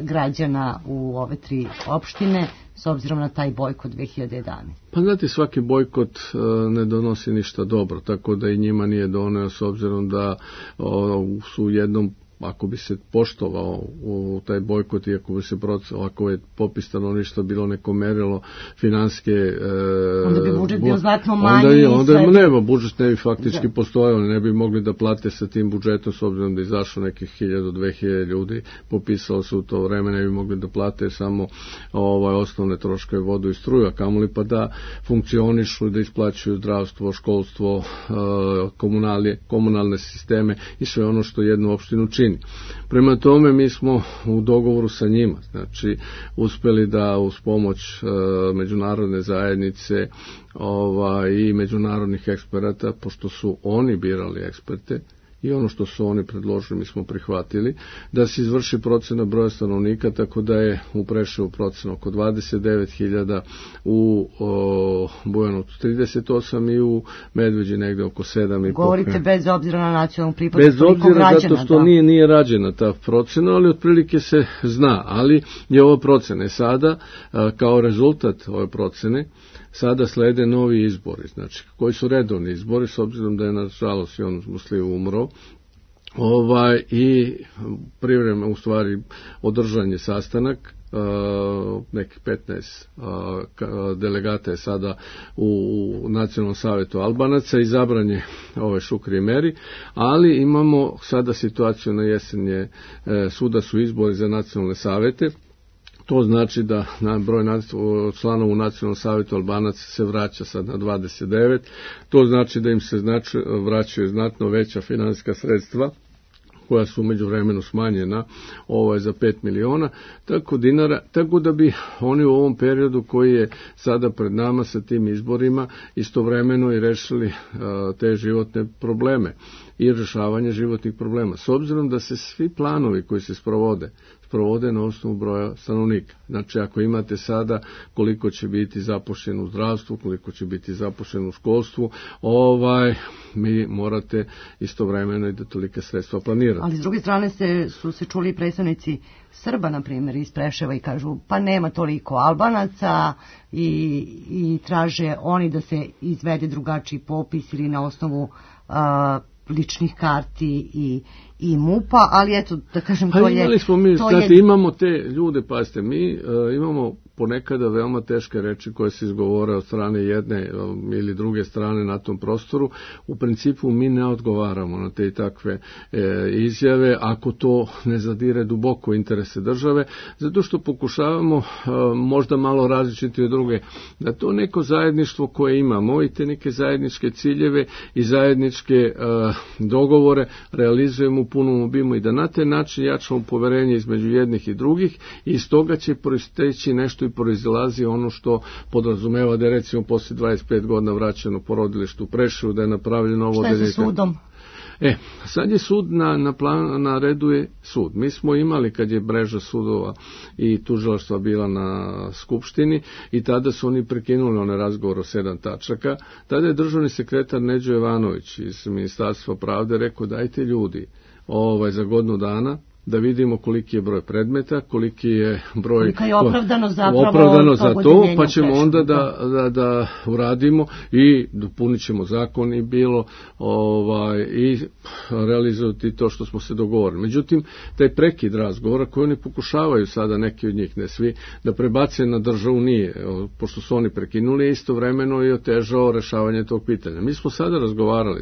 građana u ove tri opštine s obzirom na taj bojkot 2011. Pa znate, svaki bojkot ne donosi ništa dobro, tako da i njima nije doneo s obzirom da su u jednom, ako bi se poštovao u taj bojkot i ako je popis stanovništva bilo neko merilo finanske, onda bi budžet bio znatno manji. Onda budžet ne bi faktički postojao, ne bi mogli da plate sa tim budžetom s obzirom da izašlo nekih 1000-2000 ljudi, popisalo se u to vreme, ne bi mogli da plate samo osnovne troškove, vodu i struju, a kamoli pa da funkcionišu, da isplaćuju zdravstvo, školstvo, komunalne sisteme i sve ono što jednu opštinu čini. Prema tome mi smo u dogovoru sa njima, znači uspeli da uz pomoć međunarodne zajednice i međunarodnih eksperata, pošto su oni birali eksperte i ono što su oni predložili mi smo prihvatili, da se izvrši procena broja stanovnika, tako da je u Preševu procena oko 29.000, u Bujanovcu 38 i u Medveđi negde oko 7,5. Govorite bez obzira na nacionalnu pripadnost toliko građana. Bez obzira zato što nije rađena ta procena, ali otprilike se zna, ali je ova procena. Sada, kao rezultat ove procene, sada slede novi izbori, znači koji su redovni izbori, s obzirom da je nažalost Jonus Muslija umro, i privremeno u stvari održan je sastanak, nekih 15 delegata je sada u Nacionalnom savetu Albanaca, izabran je Šukri i Meri, ali imamo sada situaciju na jesenje, svuda su izbori za nacionalne savete. To znači da broj članova u Nacionalnom savjetu Albanaca se vraća sad na 29. To znači da im se vraćaju znatno veća finansijska sredstva koja su međuvremenu smanjena za 5 miliona dinara, tako da bi oni u ovom periodu koji je sada pred nama sa tim izborima istovremeno i rešili te životne probleme i rješavanje životnih problema. S obzirom da se svi planovi koji se sprovode na osnovu broja stanovnika. Znači, ako imate sada koliko će biti zaposleno u zdravstvu, koliko će biti zaposleno u školstvu, mi morate istovremeno i da tolike sredstva planirate. Ali s druge strane su se čuli predstavnici Srba, na primjer, iz Preševa i kažu pa nema toliko Albanaca i traže oni da se izvede drugačiji popis ili na osnovu ličnih karti i MUP-a, ali eto, da kažem, to je... Imali smo mi, znate, imamo te ljude, pazite, mi imamo ponekada veoma teške reči koje se izgovore od strane jedne ili druge strane na tom prostoru. U principu mi ne odgovaramo na te i takve izjave ako to ne zadire duboko interese države, zato što pokušavamo možda malo različiti od druge, da to neko zajedništvo koje imamo i te neke zajedničke ciljeve i zajedničke dogovore realizujemo u punom obimu i da na taj način jačamo poverenje između jednih i drugih i iz toga će proisteći nešto i proizilazi ono što podrazumeva da je recimo poslije 25 godina vraćeno porodilište u Preševu, da je napravljeno ovo... Šta je sa sudom? Sad je sud na redu je sud. Mi smo imali kad je mreža sudova i tužilaštva bila na skupštini i tada su oni prekinuli onaj razgovor o 7 tačaka. Tada je državni sekretar Neđo Jovanović iz Ministarstva pravde rekao dajte ljudi za godinu dana da vidimo koliki je broj predmeta, koliki je broj... Kolika je opravdano za to, pa ćemo onda da uradimo i dopunit ćemo zakon i bilo i realizovati to što smo se dogovorili. Međutim, taj prekid razgovora koji oni pokušavaju sada, neki od njih, ne svi, da prebace na državu nije, pošto su oni prekinuli istovremeno i otežao rešavanje tog pitanja. Mi smo sada razgovarali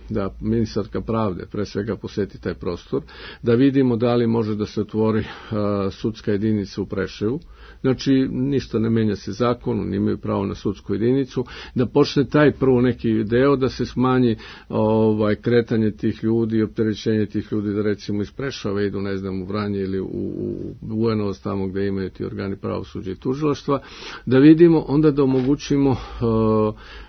da ministarka pravde, pre svega posjeti taj prostor, da vidimo da li može da se otvori sudska jedinica u Preševu. Znači, ništa ne menja se zakonu, oni imaju pravo na sudsku jedinicu, da počne taj prvo neki deo, da se smanji kretanje tih ljudi i opterećenje tih ljudi, da recimo iz Preševa idu, ne znam, u Vranje ili u Bujanovac, tamo gde imaju ti organi pravosuđa i tužilaštva, da vidimo, onda da omogućimo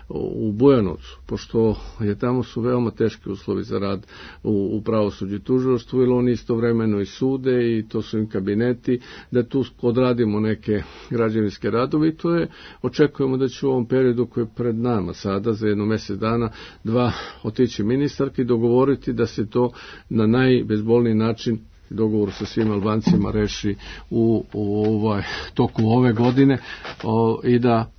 u Bujanovcu, pošto je tamo su veoma teški uslovi za rad u pravosuđu i tužilaštvu, jer oni istovremeno i sude i to su im kabineti, da tu odradimo neke građevinske radove i to je, očekujemo da će u ovom periodu koji je pred nama sada, za jedno mjesec dana, 2 otići ministarki i dogovoriti da se to na najbezbolniji način dogovor sa svim Albancima reši u toku ove godine i da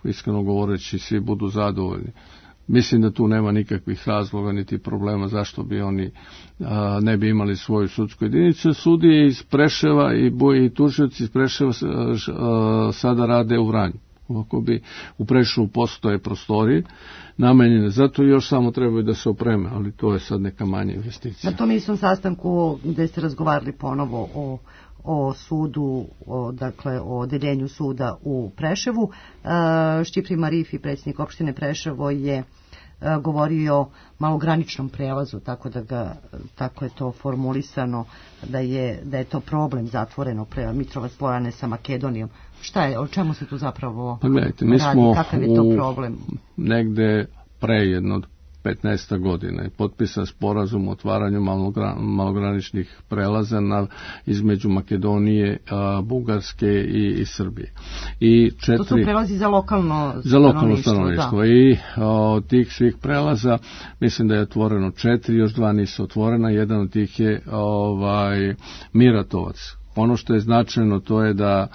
iskreno govoreći svi budu zadovoljni. Mislim da tu nema nikakvih razloga niti problema zašto bi oni ne bi imali svoju sudsku jedinicu. Sudije iz Preševa i tužioci iz Preševa sada rade u Vranju. Ovako bi u Preševu postoje prostorije namenjene, zato još samo trebaju da se opreme, ali to je sad neka manja investicija. Na tom istom sastanku gde ste razgovarali ponovo o sudu, dakle o odeljenju suda u Preševu, Šćipri Marifi, predsjednik opštine Preševo, je govorio o malograničnom prelazu, tako je to formulisano, da je to problem zatvoreno Mitrovac Lojane sa Makedonijom. Šta je, o čemu se tu zapravo radi, kakav je to problem? Negde pre jedno 15 godina je potpisan sporazum o otvaranju malograničnih prelaza između Makedonije, Bugarske i Srbije. To su prelazi za lokalno stanovništvo. Da. I od tih svih prelaza mislim da je otvoreno 4, još 2 nisu otvorena, jedan od tih je Miratovac. Ono što je značajno to je da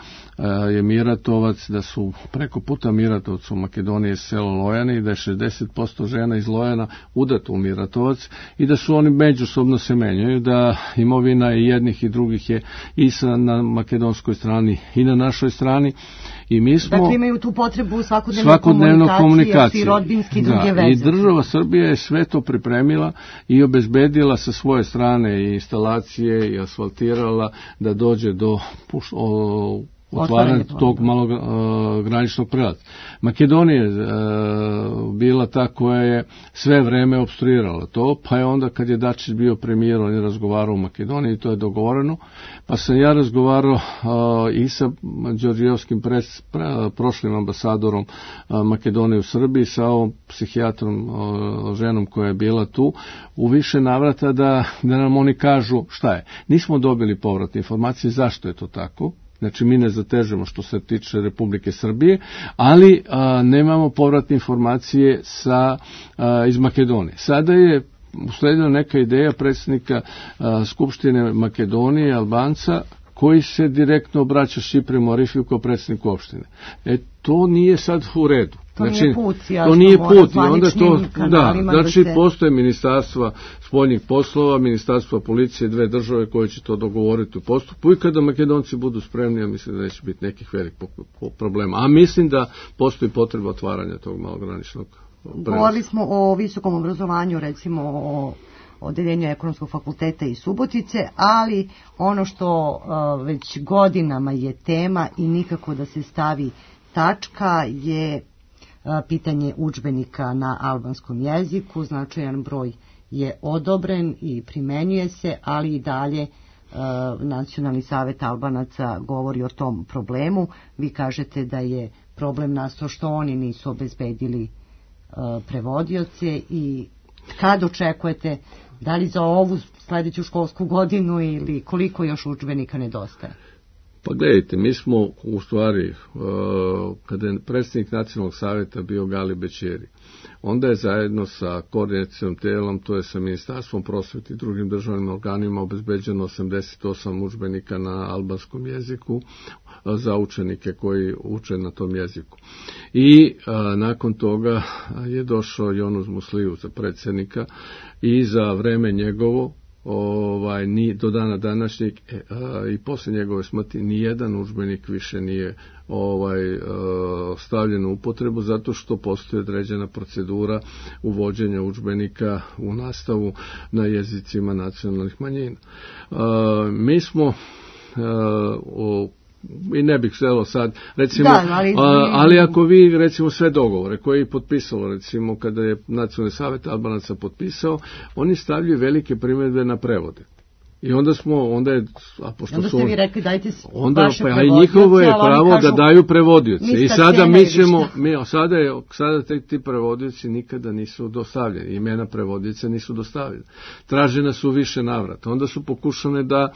je Miratovac, da su preko puta Miratovca u Makedoniji selo Lojane i da je 60% žena iz Lojana udato u Miratovac i da su oni međusobno se menjaju, da imovina i jednih i drugih je i na makedonskoj strani i na našoj strani. I mi smo, dakle imaju tu potrebu svakodnevno komunikacije, rodbinski i druge veze. I država Srbija je sve to pripremila i obezbedila sa svoje strane i instalacije i asfaltirala da dođe do otvaranje tog malograničnog prelaza. Makedonija je bila ta koja je sve vreme opstruirala to, pa je onda kad je Dačić bio premijer, on je razgovarao u Makedoniji i to je dogovoreno, pa sam ja razgovarao i sa Đorđijevskim prošlim ambasadorom Makedonije u Srbiji, sa ovom psihijatrom, ženom koja je bila tu, u više navrata da nam oni kažu šta je. Nismo dobili povratne informacije zašto je to tako. Znači, mi ne zatežemo što se tiče Republike Srbije, ali nemamo povratne informacije iz Makedonije. Sada je usledila neka ideja predsjednika Skupštine Makedonije, Albanca, koji se direktno obraća Šipremu Arifiju kao predsjedniku opštine. To nije sad u redu. To nije put, to nije put. I onda to, znači postoje ministarstva spoljnih poslova, ministarstva policije, dve države koje će to dogovoriti u postupku i kada Makedonci budu spremni, ja mislim da neće biti nekih velikih problema. A mislim da postoji potreba otvaranja tog malograničnog prelaza. Govorili smo o visokom obrazovanju, recimo o odeljenju Ekonomskog fakulteta iz Subotice, ali ono što već godinama je tema i nikako da se stavi tačka je pitanje udžbenika na albanskom jeziku. Značajan broj je odobren i primenjuje se, ali i dalje Nacionalni savet Albanaca govori o tom problemu. Vi kažete da je problem nastao što oni nisu obezbedili prevodioce i kad očekujete, da li za ovu sledeću školsku godinu ili koliko još udžbenika nedostaje? Pa gledajte, mi smo u stvari, kada je predsjednik Nacionalnog savjeta bio Gali Bećeri, onda je zajedno sa koordinacijom telom, to je sa Ministarstvom prosvete i drugim državnim organima, obezbeđeno 88 udžbenika na albanskom jeziku za učenike koji uče na tom jeziku. I nakon toga je došao Jonuz Musliju za predsjednika i za vreme njegovo ni do dana današnjeg i posle njegove smrti nijedan udžbenik više nije stavljen u upotrebu zato što postoji određena procedura uvođenja udžbenika u nastavu na jezicima nacionalnih manjina. Mi smo i ne bih želeo sad, recimo, ali ako vi, recimo, sve dogovore koje je potpisalo, recimo, kada je Nacionalni savet Albanaca potpisao, oni stavljaju velike primjedbe na prevode. I onda ste vi rekli dajte vaše prevodioce, i njihovo je pravo da daju prevodioce. I sada sada ti prevodioci nikada nisu dostavljeni, imena prevodioca nisu dostavljene. Tražena su više navrata. Onda su pokušane da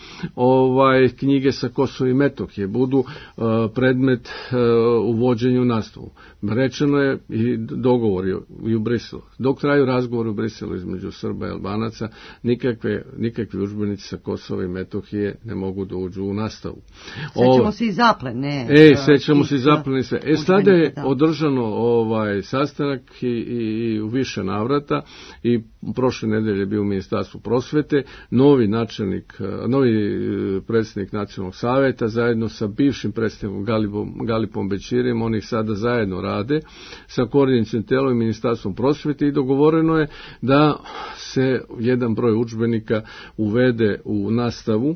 knjige sa Kosova i Metohije budu predmet uvođenja u nastavu. Rečeno je i dogovori i u Briselu. Dok traju razgovori u Briselu između Srba i Albanaca, nikakvi udžbenici sa Kosova i Metohije ne mogu da uđu u nastavu. Sećamo se i zaplene. Sećamo se i zaplene sve. Sada je održano sastanak i u više navrata i prošle nedelje je bio u Ministarstvu prosvete, novi predsjednik Nacionalnog saveta zajedno sa bivšim predsjednikom Galipom Bećirijem, oni sada zajedno rade sa koordinacijom telom i Ministarstvom prosvete i dogovoreno je da se jedan broj udžbenika uvede u nastavu,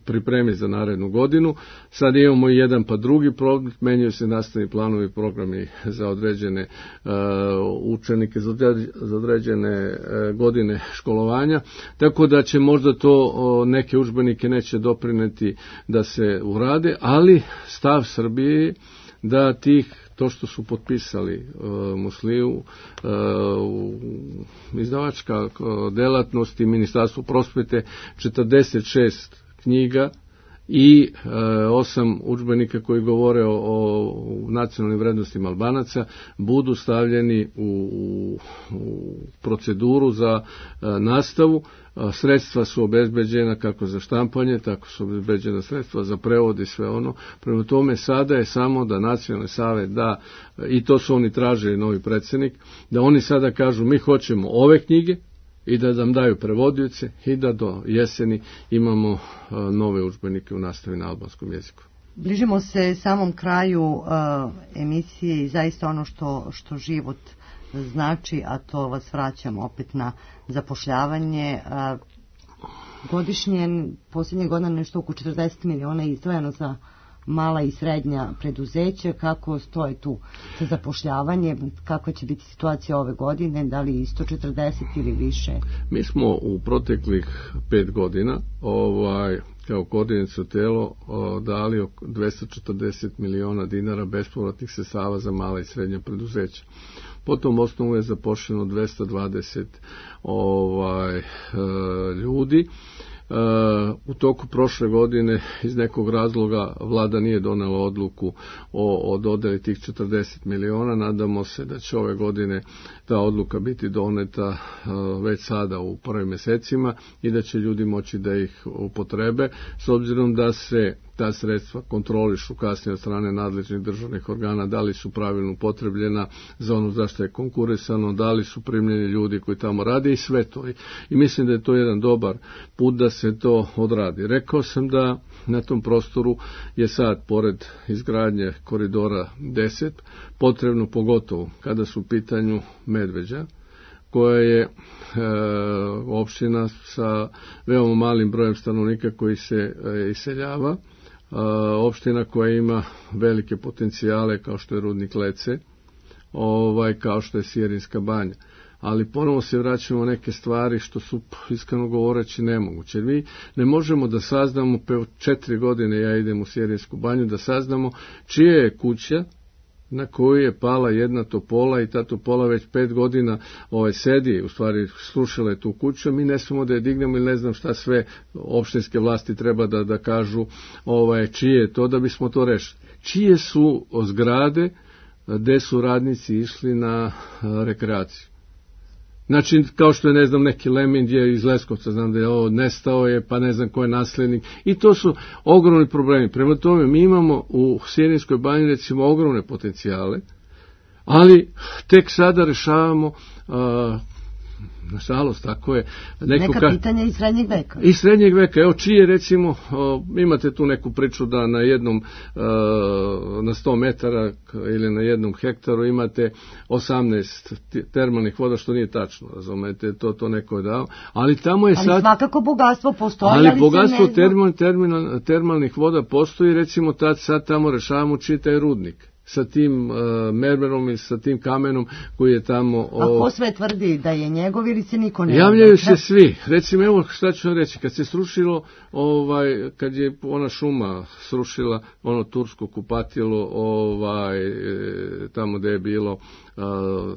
pripremi za narednu godinu. Sad imamo i jedan pa drugi problem, menjaju se nastavni planovi i programi za određene učenike, za određene godine školovanja, tako da će možda to neke udžbenike neće doprineti da se urade, ali stav Srbije je da to što su potpisali Musliju, izdavačka delatnost i Ministarstvo prosvete, 46 knjiga i 8 udžbenika koji govore o nacionalnim vrednostima Albanaca budu stavljeni u proceduru za nastavu. Sredstva su obezbeđena kako za štampanje, tako su obezbeđena sredstva za prevod i sve ono. Prema tome sada je samo da Nacionalni savet da, i to su oni tražili, novi predsjednik, da oni sada kažu mi hoćemo ove knjige i da nam daju prevodioce i da do jeseni imamo nove udžbenike u nastavi na albanskom jeziku. Bližimo se samom kraju emisije i zaista ono što život znači, a to vas vraćam opet na zapošljavanje. Godišnje, posljednje godine nešto oko 40 miliona je izdvojeno za mala i srednja preduzeća. Kako stoje tu za zapošljavanje? Kakva će biti situacija ove godine? Da li isto 40 ili više? Mi smo u proteklih 5 godina kao koordinacijsko telo dali 240 miliona dinara bespovratnih sredstava za mala i srednja preduzeća. Po tom osnovu je zaposleno 220 ljudi. U toku prošle godine iz nekog razloga vlada nije donela odluku o dodeli tih 40 miliona. Nadamo se da će ove godine ta odluka biti doneta već sada u prvim mjesecima i da će ljudi moći da ih upotrebe, s obzirom da se ta sredstva kontrolišu kasnije od strane nadležnih državnih organa, da li su pravilno upotrebljena za ono zašto je konkurisano, da li su primljeni ljudi koji tamo rade i sve to. I mislim da je to jedan dobar put da se to odradi. Rekao sam da na tom prostoru je sad, pored izgradnje koridora 10, potrebno, pogotovo kada su u pitanju Medveđa, koja je opština sa veoma malim brojem stanovnika koji se iseljava, opština koja ima velike potencijale kao što je rudnik Lece, kao što je Sirinska banja. Ali ponovo se vraćamo neke stvari što su, iskreno govoreći, nemoguće. Mi ne možemo da saznamo, 4 godine ja idem u Sirinsku banju, da saznamo čija je kuća na koju je pala jedna topola i ta topola već 5 godina sedi, u stvari slušala je tu kuću, mi ne smemo da je dignemo ili ne znam šta sve opštinske vlasti treba da kažu čije je to da bismo to rešili. Čije su zgrade gde su radnici išli na rekreaciju. Znači, kao što je, ne znam, neki Lemind je iz Leskovca, znam da je nestao je, pa ne znam ko je naslednik. I to su ogromni problemi. Prema tome, mi imamo u Sirinskoj banji, recimo, ogromne potencijale, ali tek sada rešavamo, nažalost, tako je. Neka pitanja iz srednjeg veka. Iz srednjeg veka. Evo, čije, recimo, imate tu neku priču da na jednom, na 100 metara ili na jednom hektaru imate 18 termalnih voda, što nije tačno, razumete, to neko je dao. Ali tamo je sad... Ali svakako bogatstvo postoji, ali bogatstvo termalnih voda postoji, recimo, sad tamo rešavamo čiji taj rudnik sa tim mermerom i sa tim kamenom koji je tamo... A ko sve tvrdi da je njegov ili se niko ne... Javljaju se svi. Recimo, evo šta ću vam reći, kad se srušilo, kad je ona šuma srušila ono tursko kupatilo, tamo gde je bilo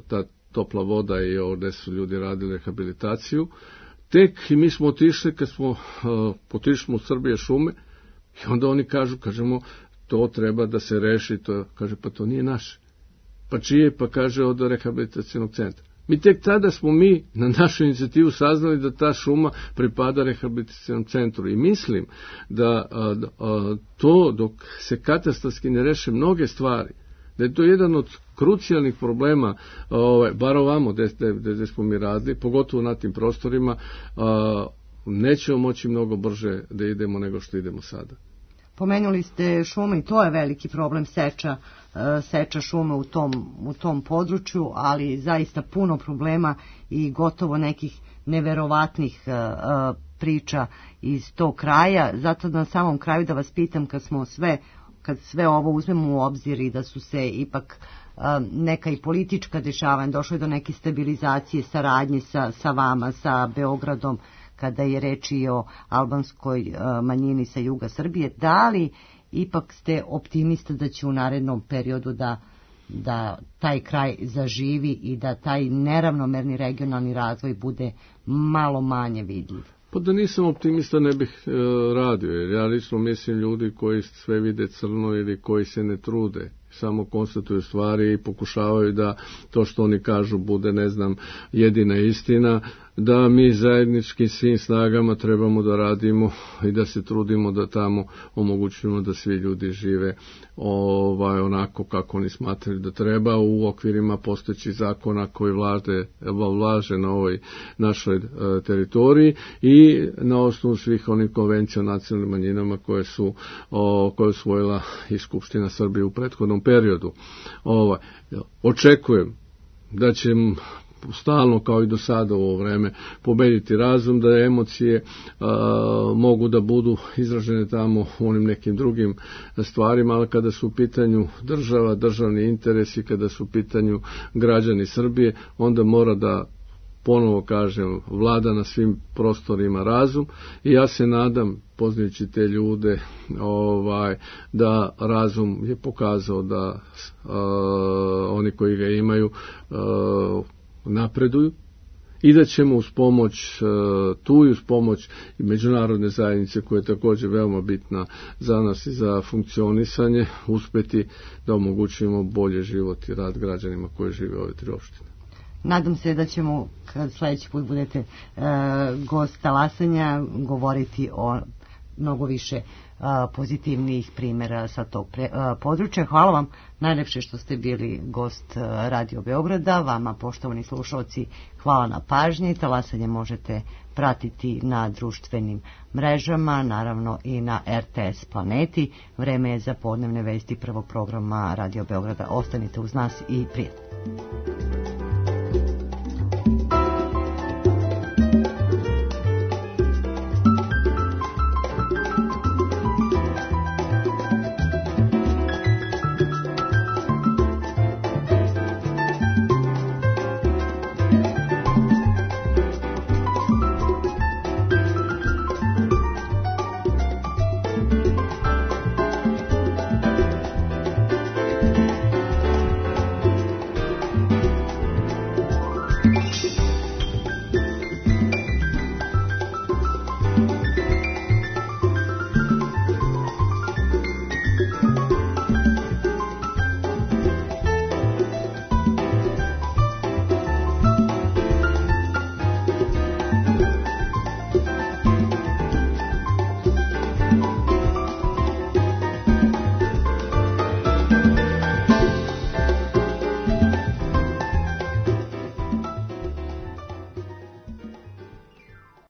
ta topla voda i gde su ljudi radili rehabilitaciju, tek i mi smo otišli, kad smo otišli u Srbije šume, i onda oni kažemo, to treba da se reši, kaže, pa to nije naše. Pa čije? Pa kaže, od rehabilitacijnog centra. Mi tek tada smo na našu inicijativu saznali da ta šuma pripada rehabilitacijnom centru. I mislim da to, dok se katastarski ne reše mnoge stvari, da je to jedan od krucijalnih problema, bar ovamo gde smo mi radili, pogotovo na tim prostorima, nećemo moći mnogo brže da idemo nego što idemo sada. Pomenuli ste šume i to je veliki problem, seča šume u tom području, ali zaista puno problema i gotovo nekih neverovatnih priča iz tog kraja. Zato na samom kraju da vas pitam, kad sve ovo uzmemo u obzir i da su se ipak neka i politička dešavanja, došlo je do neke stabilizacije, saradnje sa vama, sa Beogradom, kada je reč i o albanskoj manjini sa juga Srbije, da li ipak ste optimista da će u narednom periodu da taj kraj zaživi i da taj neravnomerni regionalni razvoj bude malo manje vidljiv? Pa da nisam optimista ne bih radio, jer ja lično mislim ljudi koji sve vide crno ili koji se ne trude, samo konstatuju stvari i pokušavaju da to što oni kažu bude, ne znam, jedina istina, da mi zajedničkim svim snagama trebamo da radimo i da se trudimo da tamo omogućujemo da svi ljudi žive onako kako oni smatraju da treba u okvirima postojećih zakona koji vlaže na ovoj našoj teritoriji i na osnovu svih onih konvencija o nacionalnim manjinama koje su usvojila i Skupština Srbije u prethodnom periodu. Očekujem da će stalno, kao i do sada u ovo vreme, pobediti razum, da emocije mogu da budu izražene tamo u onim nekim drugim stvarima, ali kada su u pitanju država, državni interesi, kada su u pitanju građani Srbije, onda mora da, ponovo kažem, vlada na svim prostorima razum i ja se nadam, poznajući te ljude, da razum je pokazao da oni koji ga imaju napreduju i da ćemo uz pomoć tu i uz pomoć i međunarodne zajednice koja je također veoma bitna za nas i za funkcionisanje uspjeti da omogućimo bolje život i rad građanima koji žive u ove 3 opštine. Nadam se da ćemo, kad sljedeći put budete gost Talasanja, govoriti o mnogo više pozitivnijih primjera sa tog područja. Hvala vam najlepše što ste bili gost Radio Beograda. Vama, poštovani slušalci, hvala na pažnji. Talasanje možete pratiti na društvenim mrežama, naravno i na RTS Planeti. Vreme je za podnevne vesti prvog programa Radio Beograda. Ostanite uz nas i prijatno.